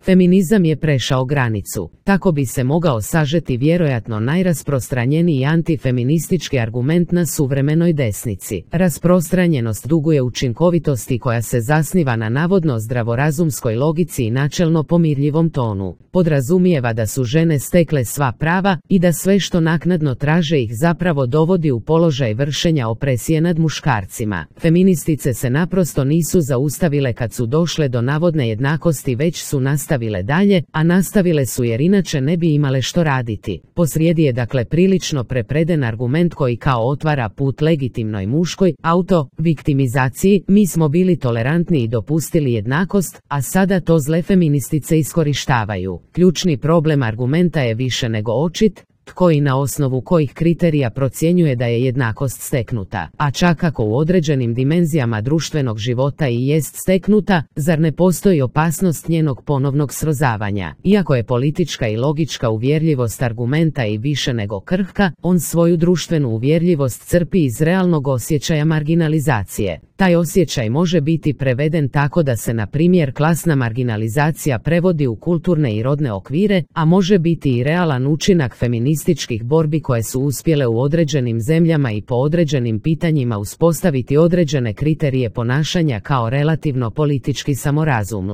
Feminizam je prešao granicu. Tako bi se mogao sažeti vjerojatno najrasprostranjeniji antifeministički argument na suvremenoj desnici. Rasprostranjenost duguje učinkovitosti koja se zasniva na navodno zdravorazumskoj logici i načelno pomirljivom tonu. Podrazumijeva da su žene stekle sva prava i da sve što naknadno traže ih zapravo dovodi u položaj vršenja opresije nad muškarcima. Feministice se naprosto nisu zaustavile kad su došle do navodne jednakosti, već su nastavile dalje, a nastavile su jer inače ne bi imale što raditi. Posrijedi je dakle prilično prepreden argument koji kao otvara put legitimnoj muškoj auto-viktimizaciji. Mi smo bili tolerantni i dopustili jednakost, a sada to zle feministice iskorištavaju. Ključni problem argumenta je više nego očit, tko i na osnovu kojih kriterija procjenjuje da je jednakost steknuta, a čak ako u određenim dimenzijama društvenog života i jest steknuta, zar ne postoji opasnost njenog ponovnog srozavanja? Iako je politička i logička uvjerljivost argumenta i više nego krhka, on svoju društvenu uvjerljivost crpi iz realnog osjećaja marginalizacije. Taj osjećaj može biti preveden tako da se na primjer klasna marginalizacija prevodi u kulturne i rodne okvire, a može biti i realan učinak feminističkih borbi koje su uspjele u određenim zemljama i po određenim pitanjima uspostaviti određene kriterije ponašanja kao relativno politički samorazum.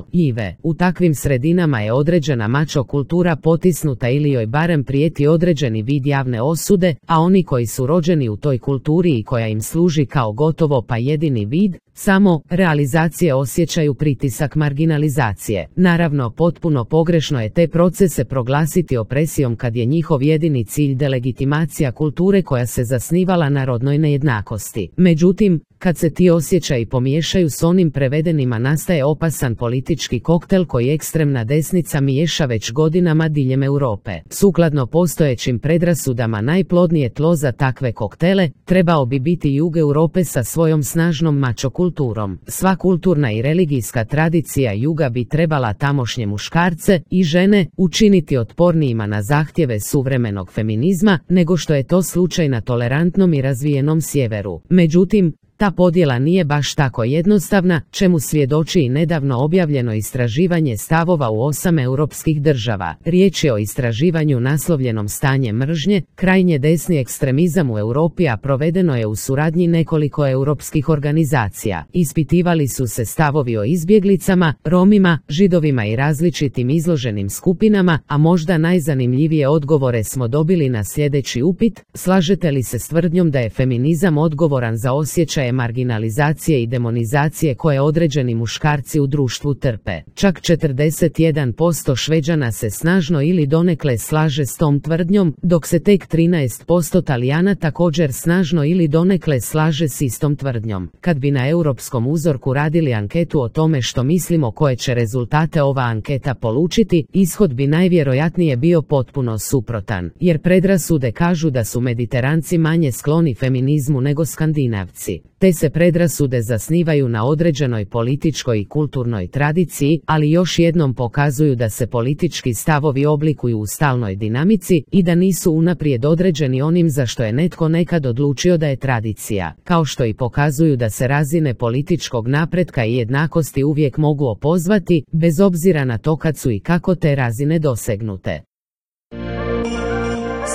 U takvim sredinama je određena mačo kultura potisnuta ili joj barem prijeti određeni vid javne osude, a oni koji su rođeni u toj kulturi i koja im služi kao gotovo pa jedini vid samo realizacije osjećaju pritisak marginalizacije. Naravno, potpuno pogrešno je te procese proglasiti opresijom kad je njihov jedini cilj delegitimacija kulture koja se zasnivala na rodnoj nejednakosti. Međutim, kad se ti osjećaji pomiješaju s onim prevedenima, nastaje opasan politički koktel koji ekstremna desnica miješa već godinama diljem Europe. Sukladno postojećim predrasudama najplodnije tlo za takve koktele trebao bi biti jug Europe sa svojom snažnom mačo kulturom. Sva kulturna i religijska tradicija juga bi trebala tamošnje muškarce i žene učiniti otpornijima na zahtjeve suvremenog feminizma nego što je to slučaj na tolerantnom i razvijenom sjeveru. Međutim, ta podjela nije baš tako jednostavna, čemu svjedoči i nedavno objavljeno istraživanje stavova u 8 europskih država. Riječ je o istraživanju naslovljenom Stanje mržnje, krajnje desni ekstremizam u Europi, a provedeno je u suradnji nekoliko europskih organizacija. Ispitivali su se stavovi o izbjeglicama, Romima, Židovima i različitim izloženim skupinama, a možda najzanimljivije odgovore smo dobili na sljedeći upit: slažete li se s tvrdnjom da je feminizam odgovoran za osjećaje marginalizacije i demonizacije koje određeni muškarci u društvu trpe? Čak 41% Šveđana se snažno ili donekle slaže s tom tvrdnjom, dok se tek 13% Talijana također snažno ili donekle slaže s istom tvrdnjom. Kad bi na europskom uzorku radili anketu o tome što mislimo koje će rezultate ova anketa polučiti, ishod bi najvjerojatnije bio potpuno suprotan, jer predrasude kažu da su Mediteranci manje skloni feminizmu nego Skandinavci. Te se predrasude zasnivaju na određenoj političkoj i kulturnoj tradiciji, ali još jednom pokazuju da se politički stavovi oblikuju u stalnoj dinamici i da nisu unaprijed određeni onim za što je netko nekad odlučio da je tradicija, kao što i pokazuju da se razine političkog napretka i jednakosti uvijek mogu opozvati, bez obzira na to kad su i kako te razine dosegnute.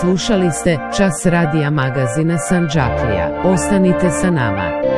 Slušali ste Čas radija magazina Sandžaklija. Ostanite sa nama.